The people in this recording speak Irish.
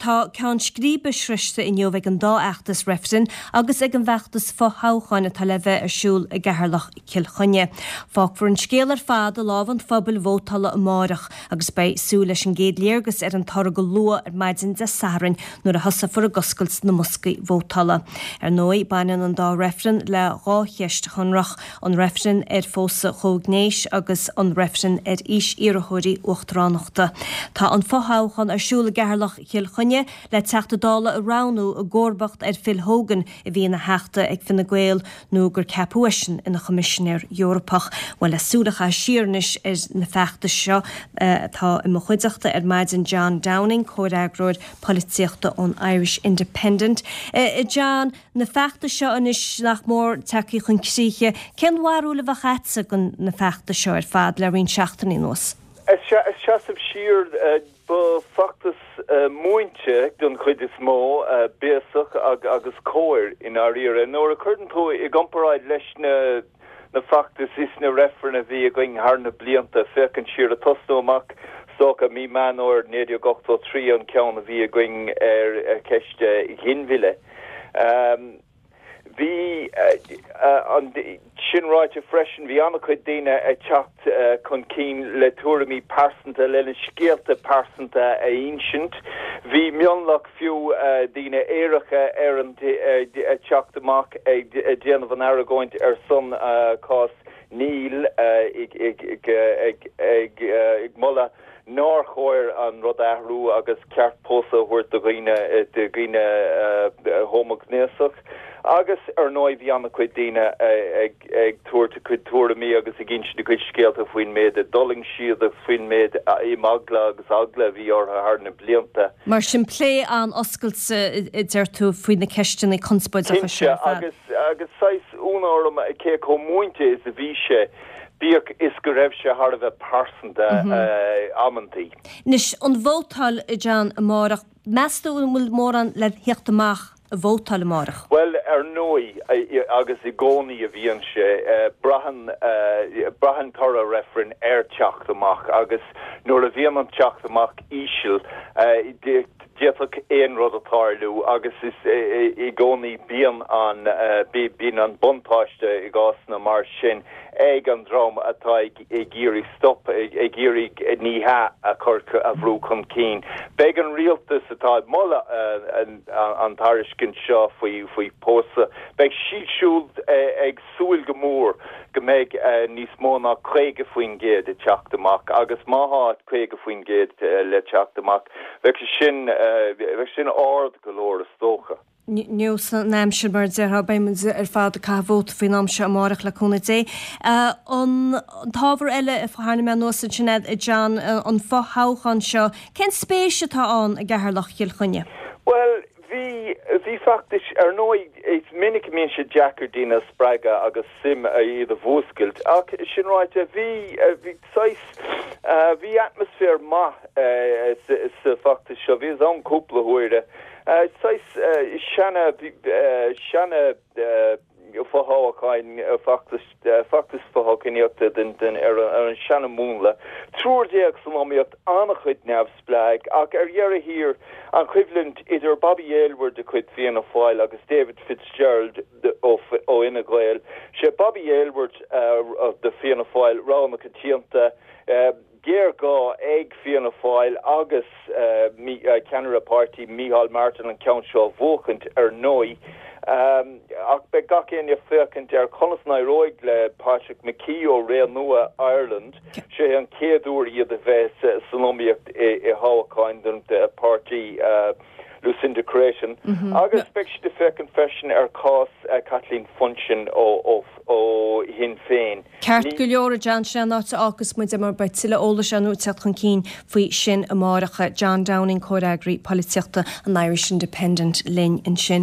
tá ceann scríbe sroichte inniu ag an dá fheachtas reifrinn agus ag an bhfeachtas fo-thoghcháin atá le bheith ar siúl i gCeatharlach Cill Chainnigh. Fágfar an scéal ar fad i lámha an phobail vótála amárach agus beidh súil leis an gcéad léargas ar an toradh go luath ar maidin Dé Sathairn nuair a thosófar ag oscailt na mboscaí vótála. Ar ndóigh, baineann an dá reifreann le dhá cheist shonrach, an reifreann ar phósadh comhghnéis agus an reifreann ar aois iarrthóirí uachtaránachta. Tá an fothoghchán ar siúl i gCeatharlach Chill Chainnigh le Teachta Dála a roghnú i gcomharbacht ar Phil Hogan a bhí ina Theachta ag Fine Gael nó gur ceapadh eisean ina Choimisinéir Eorpach. Bhuel, le súil a chaitheamh siar anois ar na feachtais seo tá i mo chuideachta ar maidin John Downing, comhfhreagróir polaitíochta ón Irish Independent. John, Na feachtais seo anois nach mór tagtha chun críche, cén bharúil a bheadh agatsa de na feachtais seo ar fad le roinnt seachtainí anuas? Ag seasamh siar, ba feachtas múinte den chuid is mó, béasach agus cóir i ndáiríre. Nuair a chuireann tú i gcomparáid leis na feachtais is na reifrinn a bhí againn thar na blianta, féachaint siar, ag tosnú amach is dócha mí Meán Fhómhair 1983 an ceann a bhí againn ar cheist ghinmhilleadh. Bhí, sin ráite freisin, bhí an-chuid daoine ag teacht chun cinn le tuairimí pearsanta, lena scéalta pearsanta a insint. Bhí mionlach fiú daoine aeracha ar an ag teacht amach ag déanamh an argóint ar son cás Níl ag moladh nár chóir an rud a athrú agus ceart pósadh a thabhairt do dhaoine do dhaoine homaighnéasach. Agus ar ndóigh bhí an-chuid daoine ag ag tabhairt a gcuid tuairimí agus ag insint a gcuid scéalta faoin méid a d'fhulaing siad agus faoin méid imeagla agus eagla a bhí orthu thar na blianta. Mar sin plé an-oscailte a deir tú faoi na ceisteanna conspóideacha seo ar fad. Cinnte, agus agus saghas ionadh orm cé chomh múinte is a bhí sé, bíodh is go raibh sé thar a bheith pearsanta amantaí. Anois, an vótáil, a John, amárach, meas tú an bhfuil mórán le theacht amach ag vótáil amárach? Bhuel, ar ndóigh, agus i gcónaí a bhíonn sé, braitheann, braitheann toradh reifrinn ar teacht amach agus nuair a bhíonn an teacht amach íseal, D'fhéadfadh aon rud a tarlú agus is i gcónaí bíonn an bíonn an buntáiste i gcásanna mar sin ag an dream atá ag iarraidh stop, ag iarraidh ní hea a chur a bhrú chun cinn. Beidh an rialtas atá ag moladh an tairiscint seo faoi faoi pósadh, beidh siad siúd ag súil go mór go mbeidh níos mó ná 50% ag teacht amach agus má thá 50% le teacht amach, bheadh sé sin, bheadh sin ard go leor is dócha. Neosfaidh an aimsir mar a déarfá, beidh muid ar fad ag caitheamh vóta faoin am seo amárach le cúnamh Dé. An t-ábhar eile a tharraing mé anuas ansin a John, an fothoghchán seo, cén spéis atá ann i gCeatharlach Chill Chainnigh? Bhuel, Bhí, bhí feachtais, ar ndóigh is minic a mbíonn sé deacair daoine a spreagadh agus suim iad a mhúscailt ach sin ráite bhí, bhí saghas, bhí atmaisféar maith sa bhfeachtas seo, bhíos ann cúpla huaire, saghas seana, seana, fothoghcháin, feachtas, feachtas fothoghchánaíochta den, den, ar an seana-mhúnla. Triúr san iomaíocht, an-chuid neamhspleách, ach ar dheireadh thiar, an choimhlint idir Bobby Aylward de chuid Fianna Fáil agus David Fitzgerald ó, ó Fhine Gael. Sé Bobby Aylward de Fianna Fáil rogha na coitianta. Géarghá ag Fianna Fáil agus ceannaire páirtí Micheál Martin an ceann seo a bhuachaint ar ndóigh. Ach beidh gach éinne ag féachaint ar conas a n-éireoidh le Patrick McKee ó Ré Nua Ireland. Sé an chéad uair iad a bheith san iomaíocht i thoghcháin don páirtí Lucinda Creighton. Agus beidh siad ag féachaint freisin ar chás Kathleen Funchion ó Shinn Féin. Ceart go leor, a John, sin é an áit a fhágfas muid é mar beidh tuilleadh eolais ar ndóigh ag teacht chun cinn faoi sin amárach. John Downing, Comhfhreagraí Polaitíochta an Irish Independent linn ansin.